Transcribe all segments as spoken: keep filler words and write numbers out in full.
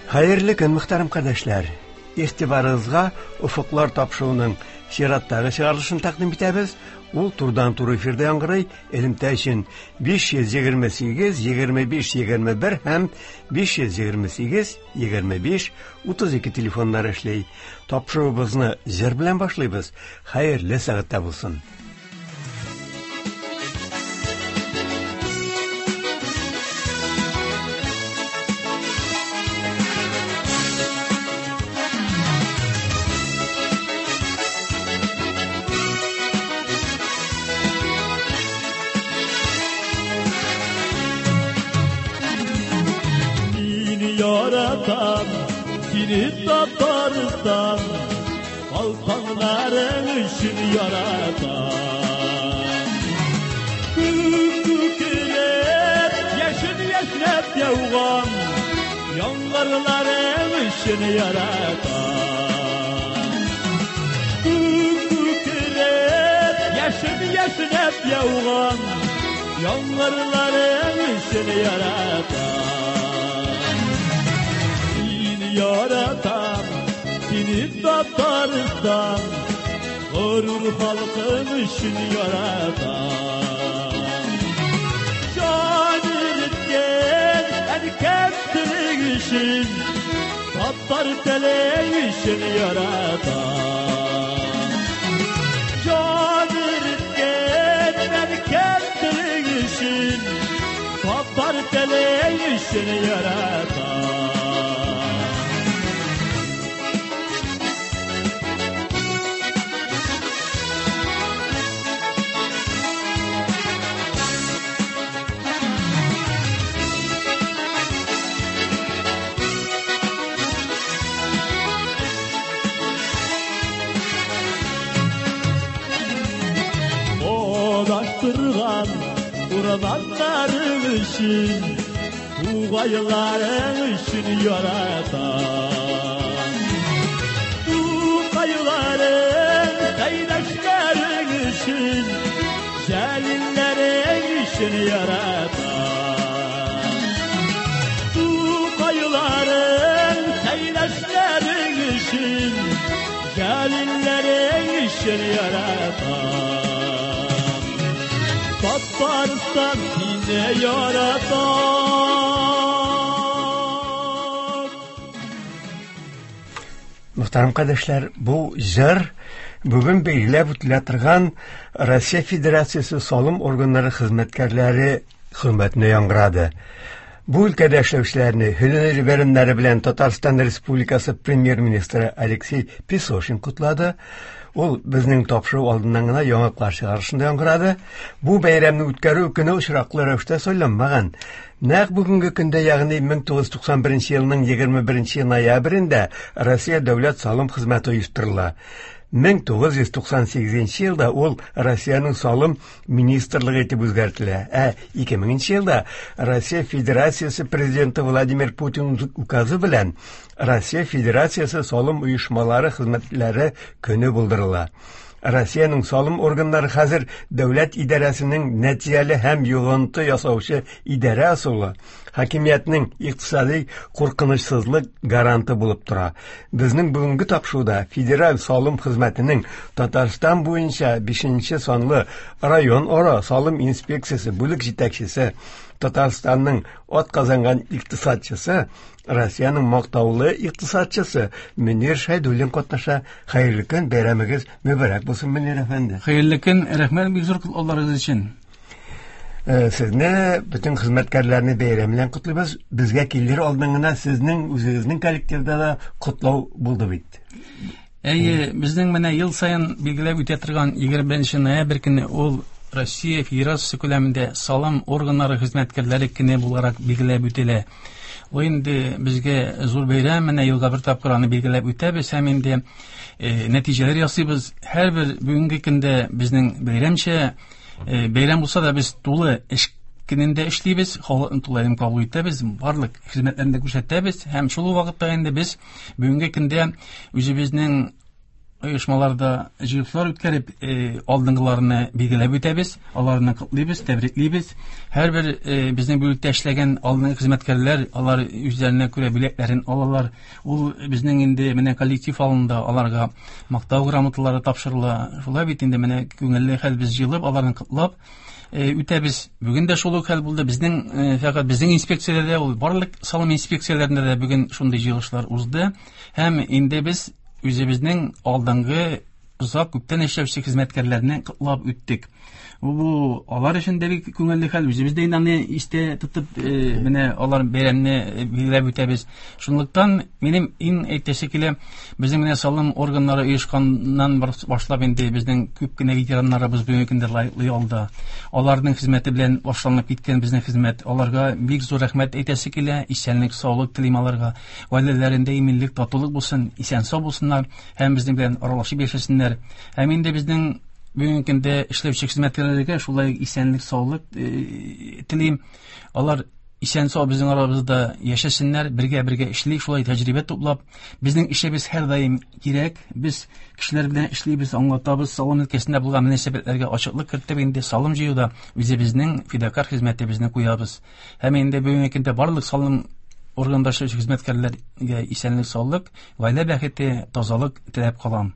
Хәерле көн, мөхтәрәм кардәшләр. Игътибарыгызга Офыклар тапшыруының чираттагы чыгарылышын тәкъдим итәбез. Ул турыдан-туры эфирда яңгырый. Элемтә өчен биш йөз егерме сигез, егерме биш, егерме бер һәм биш йөз егерме сигез, егерме биш, утыз ике телефоннары эшли. Тапшыруыбызны җыр белән башлыйбыз. Хәерле сәгатьтә булсын. Seni Tataristan, Balkanların üçün yaratan. Kök kökülüp, yeşil yeşnep yavğan, Yangırların üçün yaratan. Kök kökülüp, yeşil yeşnep yavğan, Yangırların üçün yaratan. Yaratan seni Tataristan, gurur halkın için yaratan. Can eritken erkeklik için, Tatar teli için yaratan. Can eritken erkeklik için, Tatar teli için yaratan. Urmanların üçün, Tuğayların üçün yaratan. Tuğayların, kaydaşların üçün, Celillerin üçün yaratan. Tuğayların, kaydaşların üçün, Celillerin üçün yaratan. Tataristan yine yaratan. Мөхтәрәм кардәшләр, бу җыр бүген билгеләп үтелә торган Россия Федерациясе салым органнары хезмәткәрләре хөрмәтенә яңгырады. Бу өлкәдә эшләүчеләрне һөнәри бәйрәмнәре белән Татарстан Республикасы премьер-министры Алексей Песошин котлады. Ул безнең тапшыру алдыннан гына яңалыклар чыгарышында яңгырады. Бу бәйрәмне үткәрү көне очраклы рәвештә сайланмаган. Нәкъ бүгенге көндә, ягъни мең тугыз йөз туксан беренче елның егерме беренче ноябрендә Россия дәүләт салым хезмәте оештырыла. Мең тугыз йөз туксан сигезенче елда ул Россиянең салым министрлыгы итеп үзгәртелә. Ә ике меңенче елда Россия Федерациясе президенты Владимир Путин указы белән Россия Федерациясе салым оешмалары хезмәтләре көне булдырыла. Россиянең салым органнары хәзер дәүләт идарәсенең нәтиҗәле һәм йогынты ясаучы идарә ысулы, хакимиятнең икътисади куркынычсызлык гаранты булып тора. Безнең бүгенге тапшыруда Федераль салым хезмәтенең Татарстан буенча бишенче санлы район ара салым инспекциясе бүлек җитәкчесе, Татарстанның атказанган икътисадчысы, Россиянең мактаулы икътисадчысы Мөнир Шәйдуллин катнаша. Хәерле көн, бәйрәмегез мөбарәк булсын, Мөнир әфәнде. Хәерле көн, рәхмәт бик зур котлауларыгыз өчен. Э, сезне, бөтен хезмәткәрләрне бәйрәм белән котлыйбыз. Безгә килер алдыннан гына сезнең үзегезнең коллективда да котлау булды бит. Әйе, безнең менә ел саен билгеләп үтә торган егерме беренче ноябрь көне ул Россия Федерациясе күләмендә салым органнары хезмәткәрләре көне буларак билгеләп үтелә. Ул инде безгә зур бәйрәм, менә елга бер тапкыр аны билгеләп үтәбез һәм инде, э, нәтиҗәләр ясыйбыз. Һәрбер бүгенге көндә безнең бәйрәмчә, э, бәйрәм булса да без тулы эш көнендә эшлибез, халыкны тулаем кабул итәбез, барлык хезмәтләрне дә күрсәтәбез һәм шул ук вакытта инде без бүгенге көндә үзебезнең оешмаларда җыелышлар үткәреп, алдынгыларны билгеләп үтәбез, аларны котлыйбыз, тәбриклибез. Һәрбер безнең бүлектә эшләгән алдынгы хезмәткәрләр, алар үзләренә күрә бүләкләрен алалар. Ул безнең инде менә коллектив алында аларга мактау грамоталары тапшырыла. Шулай бит инде менә күңелле хәл, без җыелып, аларны котлап үтәбез. Бүген дә шул ук хәл булды. Безнең фәкать безнең инспекцияләрдә, ул барлык салым инспекцияләрендә дә бүген шундый җыелышлар узды. Һәм инде без үзебезнең алдынгы озак күптән эшләүче хезмәткәрләрне котлап үттек. Бу алар өчен дә бик күңелле хәл. Үзебез дә инде аны истә тотып, менә алар бәйрәмне билгеләп үтәбез. Шунлыктан минем иң әйтәсе килә, безнең менә салым органнары оешканнан башлап инде безнең күп кенә ветераннарыбыз бүгенге көндә лаеклы ялда. Аларның хезмәте белән башланып киткән безнең хезмәт. Аларга бик зур рәхмәт әйтәсе килә. Исәнлек, саулык телим аларга. Гаиләләрендә иминлек, татулык булсын, исән-сау булсыннар һәм безнең белән аралашып яшәсеннәр. Һәм инде безнең бүгенге көндә эшләүче хезмәткәрләргә шулай исәнлек, саулык телим. Алар исән-сау безнең арабызда яшәсеннәр, бергә-бергә эшлик, шулай тәҗрибә туплап. Безнең эшебез һәрдаим кирәк. Без кешеләр белән эшлибез, аңлатабыз, салым өлкәсендә булган мөнәсәбәтләргә ачыклык кертеп, инде салым җыюда үзебезнең фидакар хезмәтебезне куябыз. Һәм инде бүгенге көндә барлык салым органында эшләүче хезмәткәрләргә исәнлек, саулык, гаилә бәхете, тазалык теләп калам.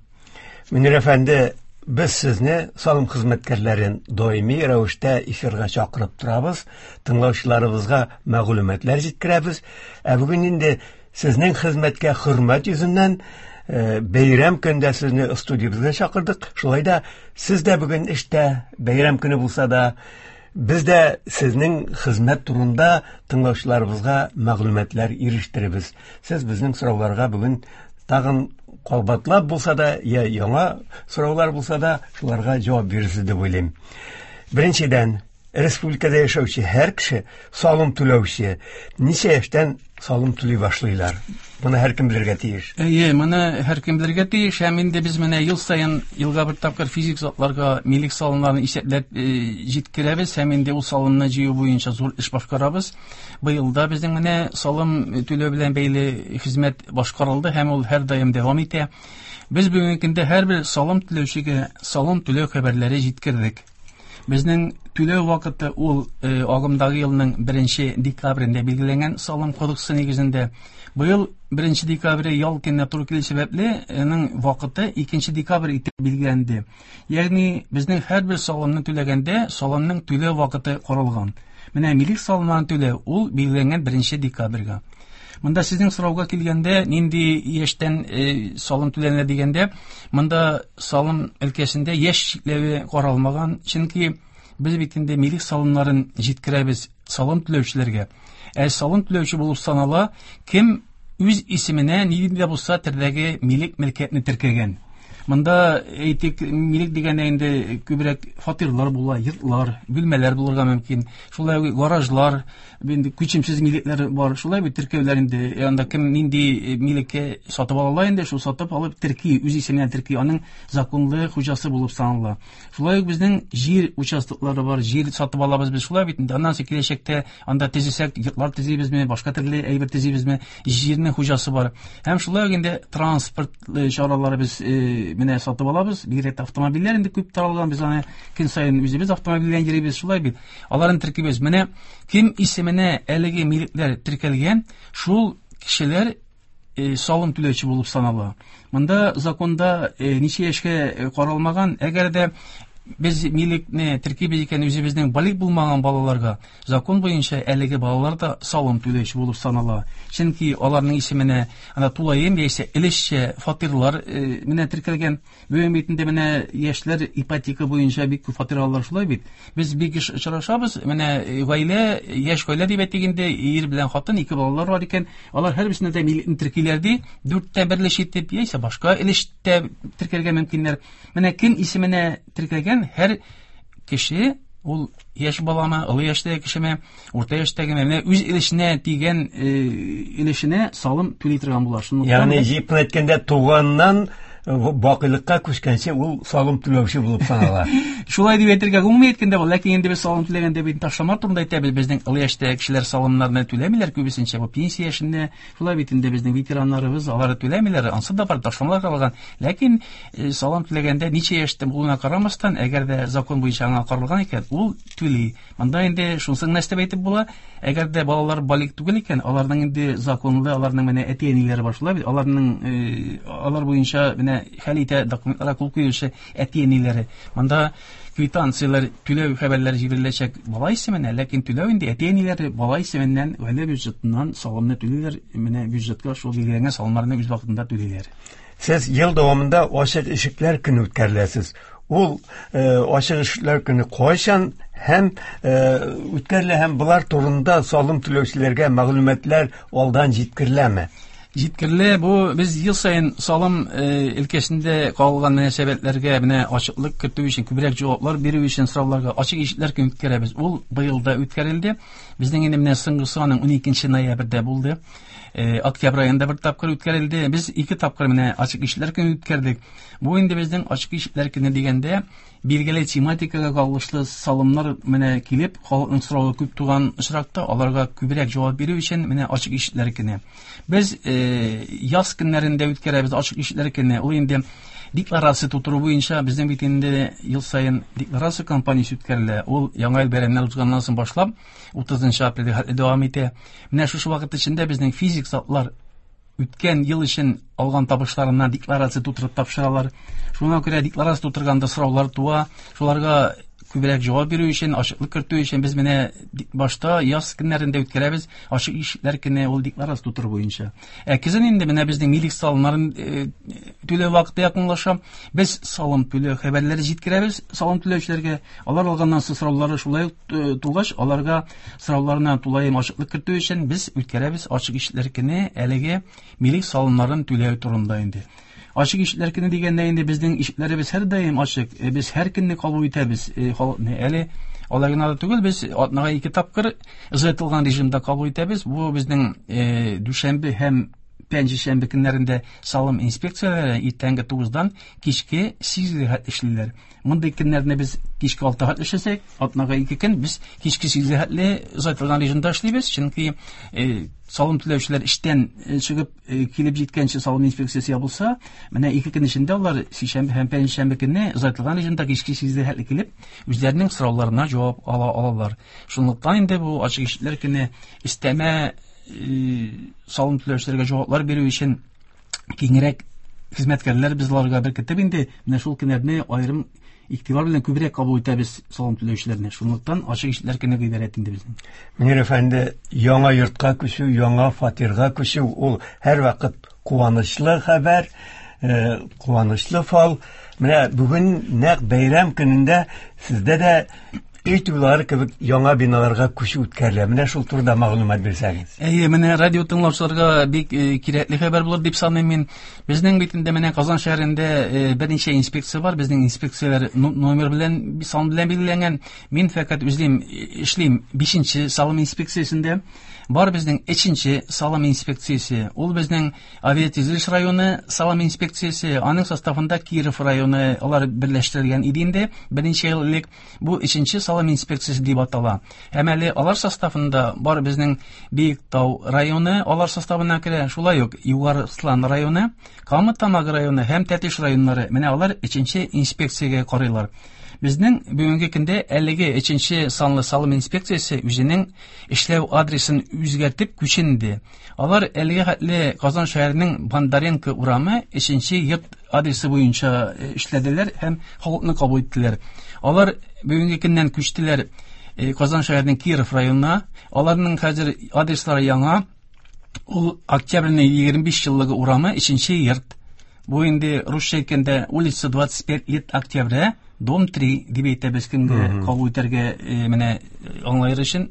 Мөнир әфәнде, без сезне, салым хезмәткәрләрен, даими рәвештә эфирга чакырып торабыз, тыңлаучыларыбызга мәгълүматлар җиткерәбез. Ә бүген инде сезнең хезмәткә хөрмәт йөзеннән бәйрәм көндә сезне студиябезгә чакырдык. Шулай да сез дә бүген эштә, бәйрәм көне булса да, без дә сезнең хезмәт турында тыңлаучыларыбызга мәгълүматлар ирештеребез. Сез безнең сорауларга бүген тагын кабатлап булса да, я яңа сораулар булса да, шуларга җавап бирерсез дип уйлыйм. Беренчедән, республикада яшәүче һәр кеше салым түләүче. Ничә яшьтән салым түли башлыйлар? Моны һәркем белергә тиеш. Әйе, моны һәркем белергә тиеш. Һәм инде без менә ел саен елга бер тапкыр физик затларга милек салымнарын исәпләп җиткерәбез һәм инде ул салымны җыю буенча зур эш башкарабыз. Быел да безнең менә салым түләү белән бәйле хезмәт башкарылды һәм ул һәрдаим дәвам итә. Без бүгенге көндә һәрбер салым түләүчегә салым түләү хәбәрләре җиткердек. Безнең түләү вакыты ул агымдагы елның беренче декабрендә билгеләнгән салым кодексы нигезендә. Быел беренче декабрь ял көненә туры килү сәбәпле, аның вакыты икенче декабрь итеп билгеләнде. Ягъни безнең һәрбер салымны түләгәндә салымның түләү вакыты каралган. Менә милек салымнарын түләү ул билгеләнгән беренче декабрьгә. Монда сезнең сорауга килгәндә, нинди яшьтән салым түләнә дигәндә, монда салым өлкәсендә яшь чикләве каралмаган, чөнки без бит инде милек салымнарын җиткерәбез салым түләүчеләргә. Ә салым түләүче булып санала, кем үз исеменә нинди дә булса төрдәге милек мөлкәтне теркәгән. Монда әйтик, милек дигәндә инде күбрәк фатирлар була, йортлар, бүлмәләр булырга мөмкин. Шулай ук гаражлар, инде күчемсез милекләр бар. Шулай бит теркәүләр инде, анда кем нинди милеккә сатып ала инде, шул сатып алып терки, үз исеменә терки, аның законлы хуҗасы булып санала. Шулай ук безнең җир участоклары бар, җир сатып алабыз без шулай бит инде. Аннан соң киләчәктә анда төзесәк, йортлар төзибезме, башка төрле әйбер төзибезме, җирнең хуҗасы бар. Һәм шулай ук инде транспорт чаралары без менә сатып алабыз. Бигрәк тә автомобильләр инде күп таралган, без аны көн саен үзебез автомобиль белән йөрибез, шулай бит. Аларын теркибез. Менә кем исеменә әлеге милекләр теркәлгән, шул кешеләр салым түләүче булып санала. Монда законда ничә яшькә каралмаган, әгәр дә без милекне теркибез икән үзебезнең балигъ булмаган балаларга, закон буенча әлеге балалар да салым түләүче булып санала. Чөнки аларның исеменә ана тулаем яисә өлешчә фатирлар менә теркәлгән. Бүген бит инде менә яшьләр ипотека буенча бик күп фатир алалар, шулай бит. Без бик еш очрашабыз, менә гаилә, яшь гаилә дип әйтик инде, ир белән хатын, ике балалар бар икән, алар һәрберсенә дә милекне теркиләр ди, дүрттә бер өлеш итеп яисә башка өлештә теркәргә мөмкиннәр. Менә кем исеменә теркәлгән һәр кеше, ул яшь баламы, олы яшьтәге кешеме, урта яшьтәгеме, менә үз өлешенә тигән өлешенә салым түли торган була. Ягъни җип әйткәндә, туганнан бакыйлыкка күчкәнче ул салым түләүче булып санала. Шулай дип әйтергә гомуми әйткәндә бу, ләкин инде без салым түләгәндә бит ташлама турында әйтәбез. Безнең олы яшьтәге кешеләр салымнарны түләмиләр күбесенчә, бу пенсия яшендә. Шулай бит инде безнең ветераннарыбыз алары түләмиләр, ансы да бар ташламалар каралган. Ләкин салым түләгәндә ничә яшьтә булуына карамастан, әгәр дә закон буенча аңа каралган икән, ул түли. Монда инде шунысын нәрсә әйтеп була, әгәр дә балалар балигъ түгел икән, аларның инде законлы, аларның менә әти-әниләре бар, шулай бит, аларның алар буенча менә хәл итә документларга кул куючы әти-әниләре. Монда квитанцияләр, түләү хәбәрләре җибәреләчәк бала исеменә, ләкин түләү инде әти-әниләре бала исеменнән гаилә бюджетыннан салымны түлиләр, менә бюджетка шул билгеләнгән салымнарны үз вакытында түлиләр. Сез ел дәвамында ачык ишекләр көне үткәреләсез. Ул ачык ишекләр көне кайчан һәм үткәрелә һәм болар турында салым түләүчеләргә мәгълүматлар алдан җиткереләме? Җиткерелә. Бу без ел саен салым өлкәсендә калган мөнәсәбәтләргә менә ачыклык кертү өчен, күбрәк җаваплар бирү өчен сорауларга ачык ишекләр көне үткәрәбез. Ул быел да үткәрелде. Безнең инде менә соңгысы аның ун икенче ноябрьдә булды. Октябрь аенда бер тапкыр үткәрелде. Без ике тапкыр менә ачык ишекләр көне үткәрдек. Бу инде безнең ачык ишекләр көне дигәндә билгеле тематикага кагылышлы салымнар менә килеп, халыкның соравы күп туган очракта аларга күбрәк җавап бирү өчен менә ачык ишекләр көне. Без яз көннәрендә үткәрәбез ачык ишекләр көне. Ул инде декларация тутыру буенча безнең бит инде ел саен декларация кампаниясе үткәрелә. Ул яңа ел бәйрәмнәре узганнан соң башлап утызынчы апрельгә хәтле дәвам итә. Менә шушы вакыт эчендә безнең физик затлар үткән ел өчен алган табышларыннан декларация тутырып тапшыралар. Шуңа күрә декларация тутырганда сораулар туа. Шуларга күбрәк җавап бирү өчен, ачыклык кертү өчен без менә башта яз көннәрендә үткәрәбез ачык ишекләр көне ул декларация тутыру буенча. Ә көзен инде менә безнең милек салымнарын түләү вакыты якынлаша. Без салым түләү хәбәрләре җиткерәбез салым түләүчеләргә. Алар алганнан соң сораулары шулай ук тугач, аларга сорауларына тулаем ачыклык кертү өчен без үткәрәбез ачык ишекләр көне әлеге милек салымнарын түләү турында инде. Ачык ишекләр көне дигәндә инде безнең ишекләребез һәрдаим ачык. Без һәр көнне кабул итәбез халыкны. Әле алай гына да түгел, без атнага ике тапкыр озайтылган режимда кабул итәбез. Бу безнең дүшәмбе һәм пәнҗешәмбе көннәрендә салым инспекцияләре иртәнге тугыздан кичке сигезгә хәтле эшлиләр. Мондый көннәрне без кичке алтыга хәтле эшләсәк, атнага ике көн без кичке сигезгә хәтле озайтылган режимда эшлибез, чөнки салым түләүчеләр эштән чыгып килеп җиткәнче салым инспекциясе ябылса, менә ике көн эчендә алар сишәмбе һәм пәнҗешәмбе көнне озайтылган режимда кичке сигезгә хәтле килеп, үзләренең сорауларына җавап ала алалар. Шунлыктан инде бу ачык ишекләр көне өстәмә салым түләүчеләргә җаваплар бирү өчен киңрәк хезмәткәрләр без аларга беркетеп инде менә шул көннәрне аерым игътибар белән күбрәк кабул итәбез салым түләүчеләрне. Шунлыктан ачык ишекләр көне гыйбарәт инде безнең. Мөнир әфәнде, яңа йортка күчү, яңа фатирга күчү ул һәрвакыт куанычлы хәбәр, куанычлы фал. Менә бүген нәкъ бәйрәм көнендә сездә дә өй туйлары кебек яңа биналарга күчү үткәрелә. Менә шул турыда мәгълүмат бирсәгез. Әйе, менә радио тыңлаучыларга бик кирәкле хәбәр булыр дип саныйм мин. Безнең бит инде менә Казан шәһәрендә берничә инспекция бар. Безнең инспекцияләр номер белән, сан белән билгеләнгән. Мин фәкать үзем эшлим бишенче салым инспекциясендә. Бар безнең өченче салым инспекциясе. Ул безнең Авиатөзелеш районы салым инспекциясе. Аның составында Киров районы, алар берләштерелгән иде инде берничә ел элек. Бу өченче салым инспекциясе дип атала. Һәм әле алар составында бар безнең Биектау районы, алар составына керә. Шулай ук Югары Слан районы, Кама Тамагы районы һәм Тәтеш районнары. Менә алар өченче инспекциягә карыйлар. Безнең бүгенге көндә әлеге өченче санлы салым инспекциясе үзенең эшләү адресын үзгәртеп күченде. Алар әлеге хәтле Казан шәһәренең Бондаренко урамы өченче йорт адресы буенча эшләделәр һәм халыкны кабул иттеләр. Алар бүгенге көннән күчтеләр Казан шәһәренең Киров районына. Аларның хәзер адреслары яңа. Ул Октябрьнең егерме биш еллыгы урамы өченче йорт. Бу инде русча әйткәндә улица двадцать пять лет октября, дом три дип әйтәбез кемгә кабул итәргә менә аңлар өчен.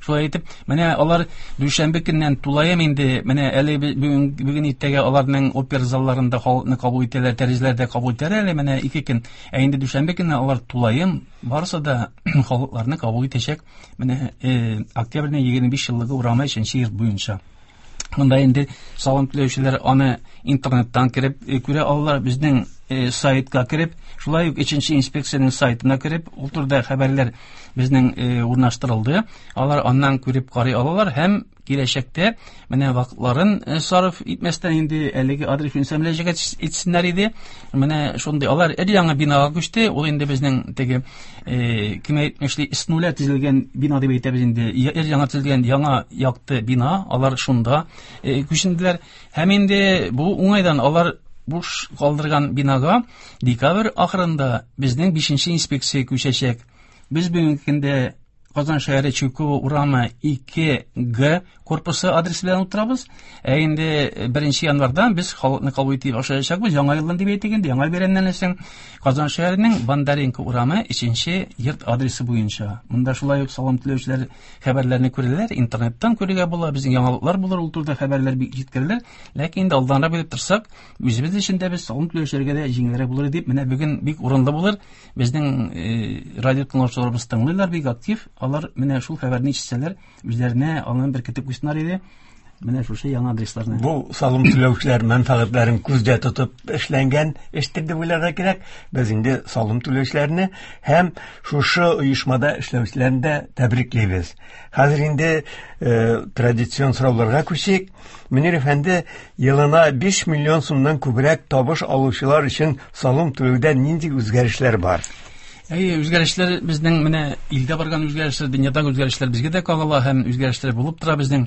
Шулай итеп, менә алар дүшәмбе көннән тулаем инде менә әле бүген бүген иртәгә аларның опера залларында халыкны кабул итәләр, тәрәзәләрдә кабул итәләр әле менә ике көн. Ә инде дүшәмбе көнне алар тулаем барысы да халыкларны кабул итәчәк. Менә октябрьнең егерме биш еллыгы урамы өченче йорт буенча. Монда инде салым түләүчеләр аны интернеттан кереп күрә алалар. Безнең сайтка кереп, шулай ук өченче инспекциянең сайтына кереп, ул турыда хәбәрләр безнең урнаштырылды. Алар аннан күреп карый алалар һәм киләчәктә менә вакытларын сарыф итмәстән инде әлеге адрес буенча мөрәҗәгать итсеннәр иде. Менә шундый алар өр яңа бинага күчте. Ул инде безнең теге кем әйтмешли с нуля төзелгән бина дип әйтәбез инде. Өр яңа төзелгән яңа якты бина, алар шунда күченделәр. Һәм инде бу уңайдан алар буш калдырган бинага декабрь ахырында безнең бишенче инспекция күчәчәк. Без бүгенге көндә Казан шәһәре Чуйкова урамы ике Г корпусы адресы белән утырабыз. Ә инде беренче январдан без халыкны кабул итеп башлаячакбыз. Яңа елдан дип әйтик инде, яңа бәйрәмнән соң Казан шәһәренең Бондаренко урамы өченче йорт адресы буенча. Монда шулай ук салым түләүчеләр хәбәрләрне күрәләр, интернеттан күрергә була, безнең яңалыклар булыр, ул турыда хәбәрләр бик җиткерелер. Ләкин инде алданрак белеп торсак, үзебез өчен дә без салым түләүчеләргә дә җиңелрәк булыр дип, менә бүген бик урынлы булыр. Безнең радио тыңлаучыларыбыз тыңлыйлар, бик актив. Алар менә шул хәбәрне ишетсәләр, үзләренә алын беркетеп куйсыннар иде. Менә шушы яңа адресларны. Бу салым түләүчеләр мәнфәгатьләрен күздә тотып эшләнгән эштер дип уйларга кирәк. Без инде салым түләүчеләрне һәм шушы оешмада эшләүчеләрне дә тәбриклибез. Хәзер инде э, традицион сорауларга күчик. Мөнир әфәнде, елына биш миллион сумнан күбрәк табыш алучылар өчен салым түләүдә нинди үзгәрешләр бар? Әй, үзгәрешләр безнең менә илдә барган үзгәрешләр, дөньядагы үзгәрешләр безгә дә кагыла һәм үзгәрешләр булып тора безнең.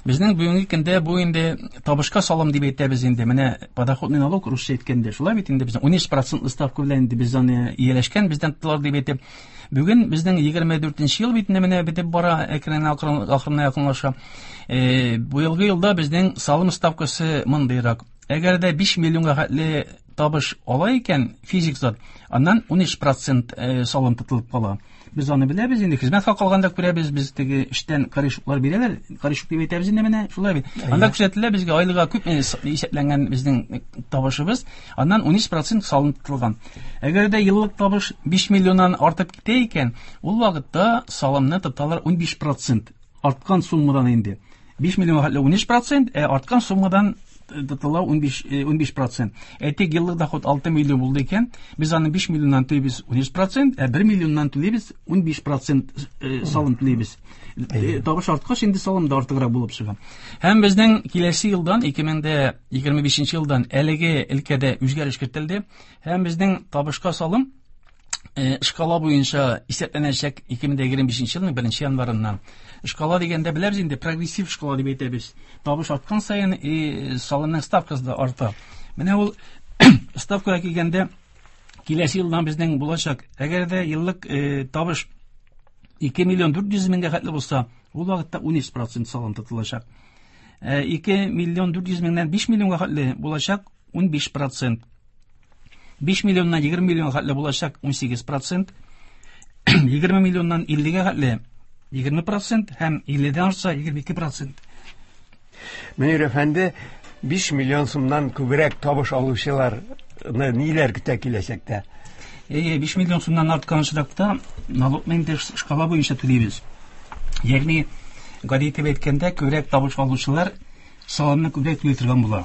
Безнең бүгенге көндә бу инде табышка салым дип әйтәбез инде. Менә подоходный налог русча әйткәндә, шулай бит инде безнең ун өч процентлы ставка белән инде без аны ияләшкән, бездән тоталар дип әйтеп. Бүген безнең егерме дүртенче ел бит инде менә бетеп бара, әкрен акрын ахырына якынлаша. Э, бу елгы елда безнең салым ставкасы мондыйрак. Әгәр дә биш миллионга хәтле табыш ала икән физик зат, аннан ун өч процент салым тотылып кала. Без аны беләбез инде, хезмәт хакы алганда күрәбез, без теге эштән корешоклар бирәләр, корешок дип әйтәбез инде менә, шулай бит. Анда күрсәтелә безгә айлыга күп исәпләнгән безнең табышыбыз, аннан ун өч процент салым тотылган. Әгәр дә еллык табыш биш миллионнан артып китә икән, ул вакытта салымны тоталар ун биш процент арткан суммадан инде. биш миллионга хәтле ун өч процент, ә арткан суммадан тотыла ун биш процент. Әйтик, еллык доход алты миллион булды икән, без аны биш миллионнан түлибез ун өч процент, ә бер миллионнан түлибез ун биш процент салым түлибез. Табыш арткач инде салым да артыграк булып чыга. Һәм безнең киләсе елдан, ике мең дә егерме бишенче елдан әлеге өлкәдә үзгәреш кертелде. Һәм безнең табышка салым шкала буенча исәпләнәчәк ике мең дә егерме бишенче елның беренче январыннан. Шкала дигәндә беләбез инде, прогрессив шкала дип әйтәбез. Табыш арткан саен и салымның ставкасы да арта. Менә ул ставкага килгәндә киләсе елдан безнең булачак. Әгәр дә еллык э, табыш ике миллион дүрт йөз меңгә хәтле булса, ул вакытта ун өч процент салым тотылачак. ике миллион дүрт йөз меңнән биш миллионга хәтле булачак ун биш процент. биш миллионнан егерме миллионга хәтле булачак ун сигез процент. егерме миллионнан иллегә хәтле егерме процент һәм илледән артса егерме ике процент. Мөнир әфәнде, биш миллион сумнан күбрәк табыш алучыларны ниләр көтә киләчәктә? Әйе, биш миллион сумнан арткан очракта налогны инде шкала буенча түлибез. Ягъни, гади итеп әйткәндә, күбрәк табыш алучылар салымны күбрәк түли торган була.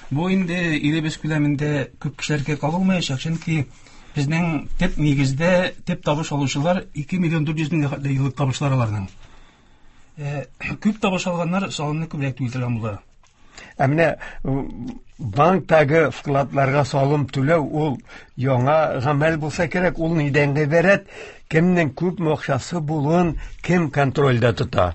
Бу инде илебез күләмендә күп кешеләргә кагылмаячак, чөнки безнең төп нигездә төп табыш алучылар ике миллион дүрт йөз меңгә хәтле еллык табышлар аларның. Э, күп табыш алганнар салымны күбрәк түли торган була. Ә менә банктагы вкладларга салым түләү ул яңа гамәл булса кирәк, ул нидән гыйбарәт? Кемнең күпме акчасы булуын кем контрольдә тота?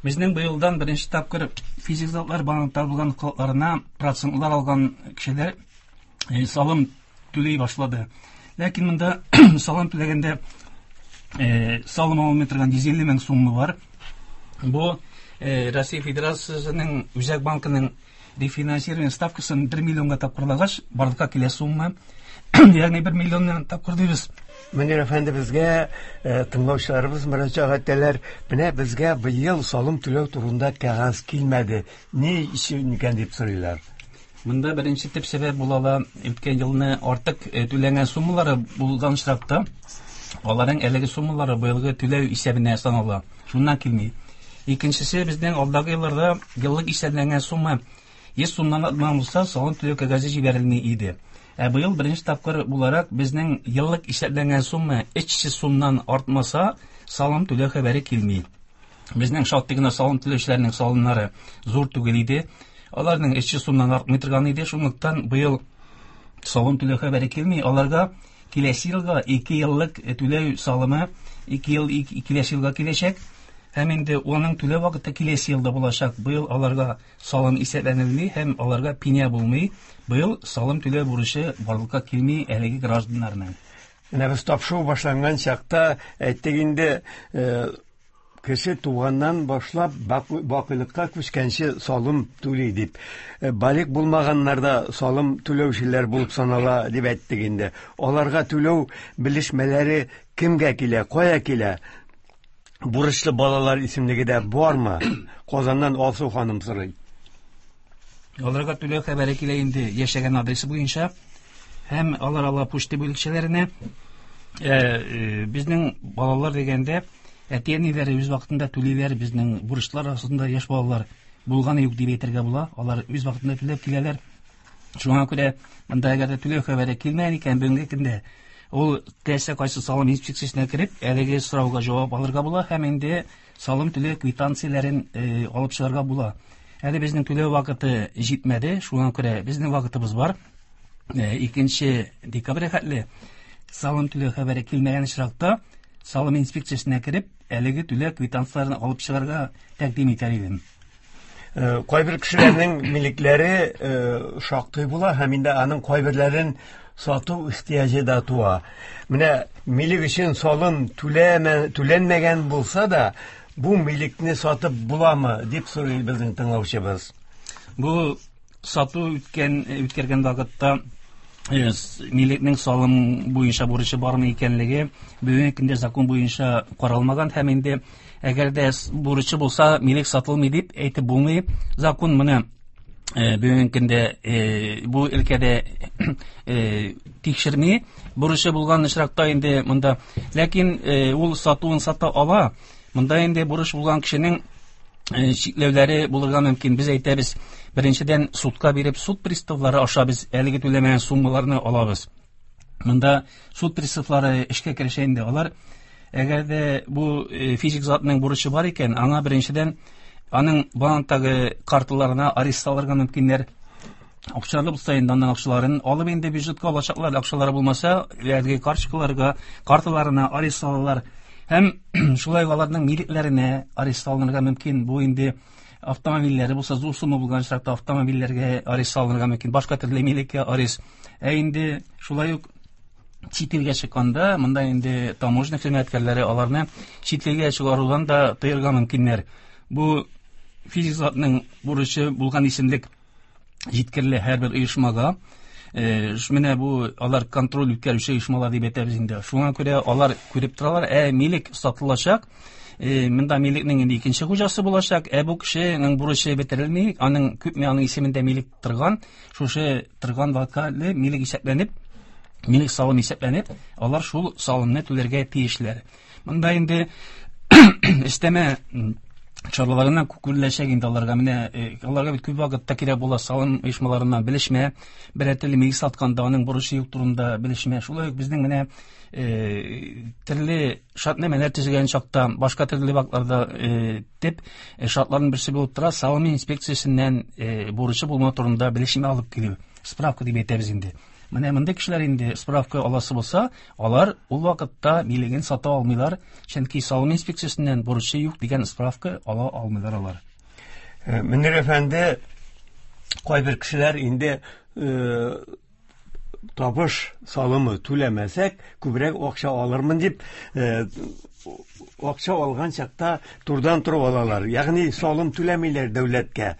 Безнең быелдан беренче тапкыр физик затлар банкта булган вкладларына процентлар алган кешеләр салым түли башлады. Ләкин монда салым түләгәндә салым алынмый торган йөз илле мең сумма бар. Бу Россия Федерациясенең Үзәк банкының рефинансирование ставкасын бер миллионга тапкырлагач, барлыкка килә сумма. Ягъни бер миллионнан тапкыр дибез. Мөнир әфәнде, безгә тыңлаучыларыбыз мөрәҗәгать итәләр. Менә безгә быел салым түләү турында кәгазь килмәде. Ни өчен икән дип сорыйлар. Монда беренче төп сәбәп була ала, үткән елны артык түләнгән суммалары булган очракта, аларның әлеге суммалары быелгы түләү исәбенә санала. Шуннан килми. Икенчесе, безнең алдагы елларда еллык исәпләнгән сумма йөз сумнан артмаган булса, салым түләү кәгазе җибәрелми иде. Ә быел беренче тапкыр буларак безнең еллык исәпләнгән сумма өч йөз сумнан артмаса, салым түләү хәбәре килми. Безнең шактый гына салым түләүчеләрнең салымнары зур түгел иде. Аларның өч йөз сумнан артмый торган иде. Шунлыктан быел салым түләү хәбәре килми. Аларга киләсе елга ике еллык түләү салымы ике ел киләсе елга киләчәк. Һәм инде оның түләү вакыты киләсе елда булачак. Быел аларга салым исәпләнелми һәм аларга пеня булмый. Быел салым түләү бурычы барлыкка килми әлеге гражданнарның. Менә без тапшыру башланган чакта әйттек инде, кеше туганнан башлап бакыйлыкка күчкәнче салым түли дип. Балигъ булмаганнарда салым түләүчеләр булып санала дип әйттек инде. Аларга түләү белешмәләре кемгә килә, кая килә? Бурычлы балалар исемлеге дә бармы? Казаннан Алсу ханым сорый. Аларга түләү хәбәре килә инде яшәгән адресы буенча һәм алар ала почта бүлекчәләренә. Безнең балалар дигәндә әти-әниләре үз вакытында түлиләр, безнең бурычлар арасында яшь балалар булганы юк дип әйтергә була. Алар үз вакытында түләп киләләр. Шуңа күрә монда әгәр дә түләү хәбәре килмәгән икән, бүгенге көндә ул теләсә кайсы салым инспекциясенә кереп, әлеге сорауга җавап алырга була һәм инде салым түләү квитанцияләрен алып чыгарга була. Әле безнең түләү вакыты җитмәде, шуңа күрә безнең вакытыбыз бар. Икенче декабрь хәтле салым түләү хәбәре килмәгән очракта салым инспекциясенә кереп, әлеге түләү квитанцияләрен алып чыгарга тәкъдим итәр идем. Кайбер кешеләрнең милекләре шактый була һәм инде аның кайберләрен сату ихтыяҗы да туа. Менә милек өчен салым түләнмәгән булса да, бу милекне сатып буламы дип сорый безнең тыңлаучыбыз. Бу сату үткән үткәргән вакытта милекнең салым буенча бурычы бармы икәнлеге бүгенге көндә закон буенча каралмаган һәм инде әгәр дә бурычы булса милек сатылмый дип әйтеп булмый. Закон моны бүгенге көндә бу өлкәдә тикшерми. Бурычы булган очракта инде монда, ләкин ул сатуын сата ала. Монда инде бурыч булган кешенең чикләүләре булырга мөмкин. Без әйтәбез, беренчедән судка биреп, суд приставлары аша без әлеге түләмәгән суммаларны алабыз. Монда суд приставлары эшкә керешә инде. Алар әгәр дә бу физик затның бурычы бар икән, аңа беренчедән аның банктагы карталарына арест салырга мөмкиннәр. Акчалары булса инде аның акчаларын алып инде бюджетка алачаклар. Акчалары булмаса, әлеге карточкаларга, карталарына арест салалар. Һәм шулай аларның милекләренә арест салынырга мөмкин. Бу инде автомобильләре булса, зур сумма булган очракта автомобильләргә арест салынырга мөмкин, башка төрле милеккә арест. Ә инде шулай ук чит илгә чыкканда, монда инде таможня хезмәткәрләре аларны чит илгә чыгарудан да тыярга мөмкиннәр. Бу физик затның бурычы булган исемлек җиткерелә һәрбер оешмага. Менә бу алар контроль үткәрүче оешмалар дип әйтәбез инде. Шуңа күрә алар күреп торалар, ә милек сатылачак, монда милекнең инде икенче хуҗасы булачак, ә бу кешенең бурычы бетерелми, аның күпме аның исемендә милек торган, шушы торган вакытка милек исәпләнеп, милек салым исәпләнеп, алар шул салымны түләргә тиешләр. Монда инде өстәмә чараларына күреләчәк инде аларга. Менә аларга бит күп вакытта кирәк була салым оешмаларыннан белешмә, берәр төрле милек сатканда аның бурычы юк турында белешмә. Шулай ук безнең менә төрле шартнамәләр төзегән чакта, башка төрле вакытларда дип шартларның берсе булып тора салым инспекциясеннән бурычы булмау турында белешмә алып килү, справка дип әйтәбез инде. Менә монда кешеләр инде справка аласы булса, алар ул вакытта милеген сата алмыйлар, чөнки салым инспекциясеннән бурычы юк дигән справка ала алмыйлар алар. Мөнир әфәнде, кайбер кешеләр инде табыш салымы түләмәсәк, күбрәк акча алырмын дип, акча алган чакта турдан торып алалар. Ягъни салым түләмиләр дәүләткә.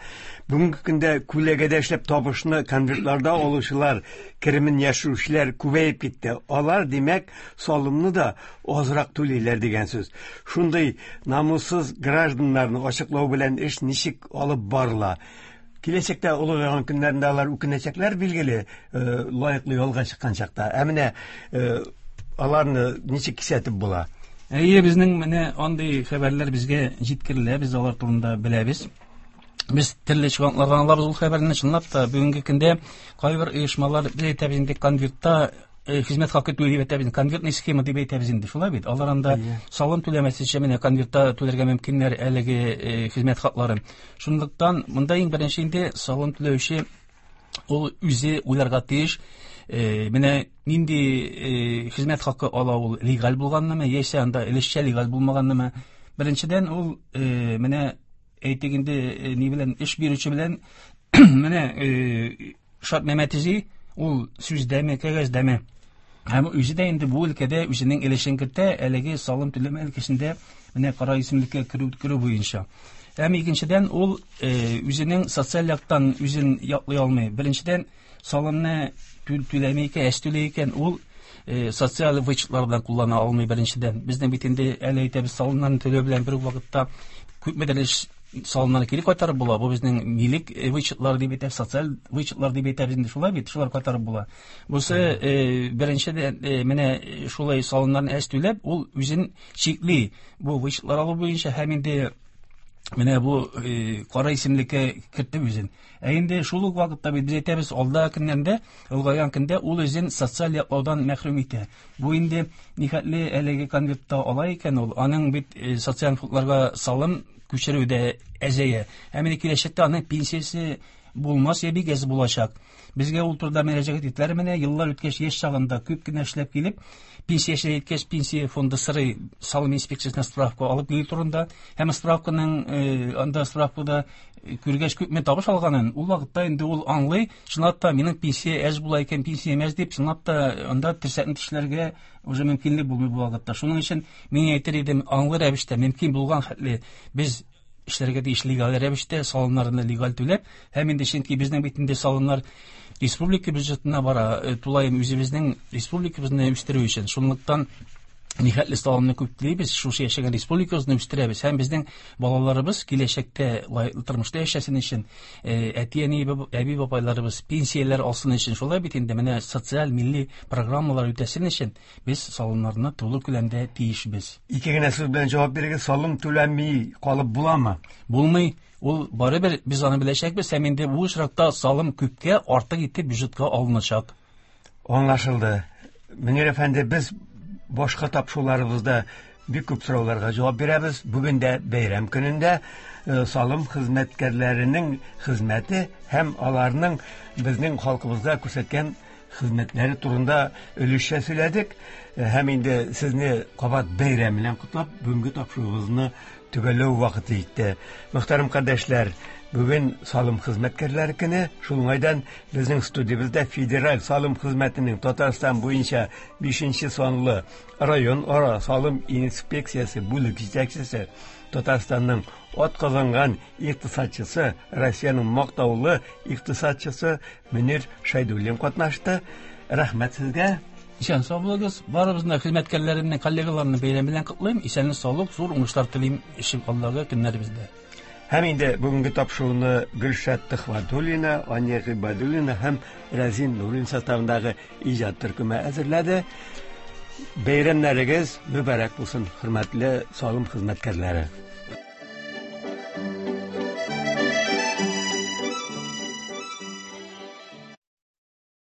Бүгенге көндә күләгәдә эшләп табышны конвертларда алучылар, керемен яшерүчеләр күбәеп китте. Алар, димәк, салымны да азрак түлиләр дигән сүз. Шундый намуссыз гражданнарны ачыклау белән эш ничек алып барыла? Киләчәктә олыгайган көннәрендә алар үкенәчәкләр, билгеле, лаеклы ялга чыккан чакта. Ә менә аларны ничек кисәтеп була? Әйе, безнең менә андый хәбәрләр безгә җиткерелә, без алар турында беләбез. Без төрле чыганаклардан алабыз ул хәбәрне. Чынлап та бүгенге көндә кайбер оешмалар, без әйтәбез инде, конвертта хезмәт хакы түли дип әйтәбез, конвертный схема дип әйтәбез инде, шулай бит. Алар анда салым түләмәсенчә менә конвертта түләргә мөмкиннәр әлеге хезмәт хакларын. Шунлыктан монда иң беренче инде салым түләүче ул үзе уйларга тиеш. Менә нинди хезмәт хакы ала ул, легаль булганнымы, яисә анда өлешчә легаль булмаганнымы. Беренчедән ул менә әйтик инде ни белән эш бирүче белән менә шартнамә төзи, ул сүздәме, кәгазьдәме. Һәм үзе дә инде бу өлкәдә үзенең өлешен кертә, әлеге салым түләмә өлкәсендә менә кара исемлеккә керү керү буенча. Һәм икенчедән ул үзенең социаль яктан үзен яклый алмый. Беренчедән салымны түләми икән, әз түләй икән, ул социаль вычетлар белән куллана алмый беренчедән. Безнең бит инде әле әйтәбез, салымнарны түләү белән бер үк вакытта күпмедер эш салымнарны кире кайтарып була. Бу безнең милек вычетлар дип әйтәбез, социаль вычетлар дип әйтәбез инде, шулай бит, шулар кайтарып була. Бусы беренчедән менә шулай салымнарны әз түләп, ул үзен чикли бу вычетлар алу буенча һәм инде менә бу кара исемлеккә кертеп үзен. Ә инде шул ук вакытта бит без әйтәбез, алда көннәрдә, олгайган көндә ул үзен социаль яклаудан мәхрүм итә. Бу инде нихәтле әлеге конвертта ала икән ул, аның бит социаль фондларга салым күчерү дә әзәя. Һәм инде киләчәктә аның пенсиясе булмас я бик әз булачак. Безгә ул турыда мөрәҗәгать иттеләр. Менә еллар үткәч, яшь чагында күп кенә эшләп килеп, пенсия яшенә җиткәч, пенсия фонды сорый салым инспекциясенә справка алып килү турында. Һәм справканың анда справкада күргәч күпме табыш алганын, ул вакытта инде ул аңлый, чынлап та минем пенсия әз була икән, пенсиям әз дип, чынлап та анда терсәкне тешләргә уже мөмкинлек булмый бу вакытта. Шуның өчен мин әйтер идем, аңлы рәвештә мөмкин булган хәтле без эшләргә тиеш легаль рәвештә, салымнарны легаль түләп, һәм инде чөнки безнең бит инде салымнар республика бюджетына бара, тулаем үзебезнең республикабызны үстерү өчен. Шунлыктан нихәтле салымны күп түлибез, шушы яшәгән республикабызны үстерәбез. Һәм безнең балаларыбыз киләчәктә лаеклы тормышта яшәсен өчен, әти-әни, әби-бабайларыбыз пенсияләр алсын өчен, шулай бит инде менә социаль милли программалар үтәсен өчен без салымнарны тулы күләмдә тиешбез. Ике генә сүз белән җавап бирегез, салым түләми калып буламы? Булмый. Ул барыбер без аны беләчәкбез, һәм инде бу очракта салым күпкә артык итеп бюджетка алыначак. Аңлашылды. Мөнир әфәнде, без башка тапшыруларыбызда бик күп сорауларга җавап бирәбез. Бүген дә бәйрәм көнендә салым хезмәткәрләренең хезмәте һәм аларның безнең халкыбызга күрсәткән хезмәтләре турында өлешчә сөйләдек. Һәм инде сезне кабат бәйрәм белән котлап, бүгенге тапшыруыбызны төгәлләү вакыты җитте. Мөхтәрәм кардәшләр, бүген салым хезмәткәрләре көне. Шул уңайдан безнең студиябездә Федераль салым хезмәтенең Татарстан буенча бишенче санлы район ара салым инспекциясе бүлек җитәкчесе, Татарстанның атказанган икътисадчысы, Россиянең мактаулы икътисадчысы Мөнир Шәйдуллин катнашты. Рәхмәт сезгә. Исән сау булыгыз. Барыбызны, хезмәткәрләремне, коллегаларымны бәйрәм белән котлыйм. Исәнлек, саулык, зур уңышлар телим эшем алдагы көннәребездә. Һәм инде бүгенге тапшыруны Гөлшат Төхвәтуллина, Ания Гыйбадуллина һәм Рәзин Нурин составындагы иҗат төркеме әзерләде. Бәйрәмнәрегез мөбарәк булсын, хөрмәтле салым хезмәткәрләре.